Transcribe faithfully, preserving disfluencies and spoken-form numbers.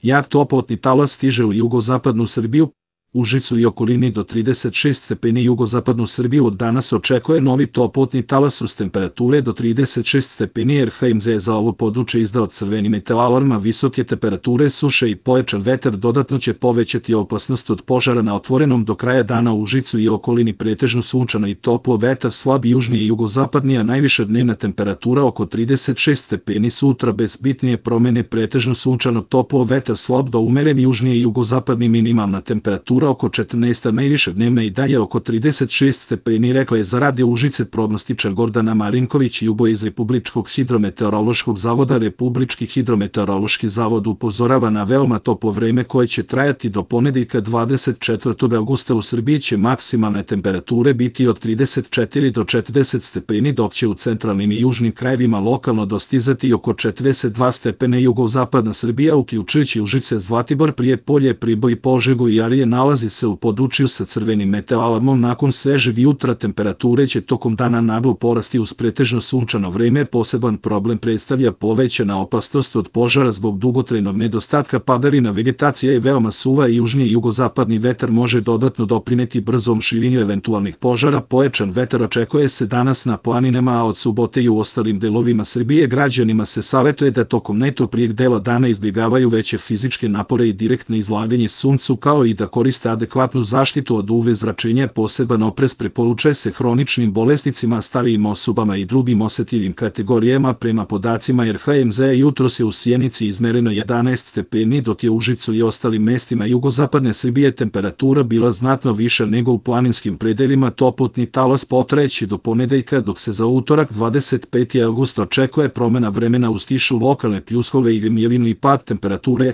Jak toplotni talas stiže u jugozapadnu Srbiju, Užicu i okolini do trideset šest stepeni. Jugozapadnu Srbiju od danas očekuje novi toplotni talas uz temperature do trideset šest stepeni. R H M Z je za ovo područje izdao crveni meteoalarm, a visoke temperature, suše i pojačan vetar dodatno će povećati opasnost od požara na otvorenom. Do kraja dana u Užicu i okolini pretežno sunčano i toplo, vetar slab južni i jugozapadni, a najviša dnevna temperatura oko trideset šest stepeni. Sutra bez bitnije promene, pretežno sunčano, toplo, vetar slab do umeren južni i jugozapadni, minimalna temperatura oko četrnaest, a najviša dnevna i dalje oko trideset šest stepeni, rekla je za Radio Užice prognostičar Gordana Marinković. Jubo iz Republičkog hidrometeorološkog zavoda. Republički hidrometeorološki zavod upozorava na veoma toplo vreme koje će trajati do ponedeljka dvadeset četvrtog avgusta. U Srbiji će maksimalne temperature biti od trideset četiri do četrdeset stepeni, dok će u centralnim i južnim krajevima lokalno dostizati oko četrdeset dva stepena. Jugozapadna Srbija, uključujući Užice, Zlatibor, Prijepolje, Priboj, Požegu i Arilje, nalazi se u području sa crvenim meteoalarmom. Nakon svežeg jutra temperature će tokom dana naglo porasti uz pretežno sunčano vreme. Poseban problem predstavlja povećana opasnost od požara zbog dugotrajnog nedostatka padavina. Vegetacija je veoma suva i južni i jugozapadni vetar može dodatno doprineti brzom širenju eventualnih požara. Pojačan vetar očekuje se danas na planinama, a od subote i u ostalim delovima Srbije. Građanima se savetuje da tokom najtoplijeg dela dana izbjegavaju veće fizičke napore i direktno izlaganje suncu, kao i da koriste adekvatnu zaštitu od U V zračenja. Poseban oprez preporučuje se hroničnim bolesnicima, starijim osobama i drugim osetljivim kategorijama. Prema podacima R H M Z, jutros je u Sjenici izmereno jedanaest stepeni, dok je u Užicu i ostalim mestima jugozapadne Srbije temperatura bila znatno viša nego u planinskim predelima. Toplotni talas potrajeći do ponedeljka, dok se za utorak dvadeset peti avgust očekuje promena vremena uz tišu, lokalne pljuskove i milinu i pad temperature.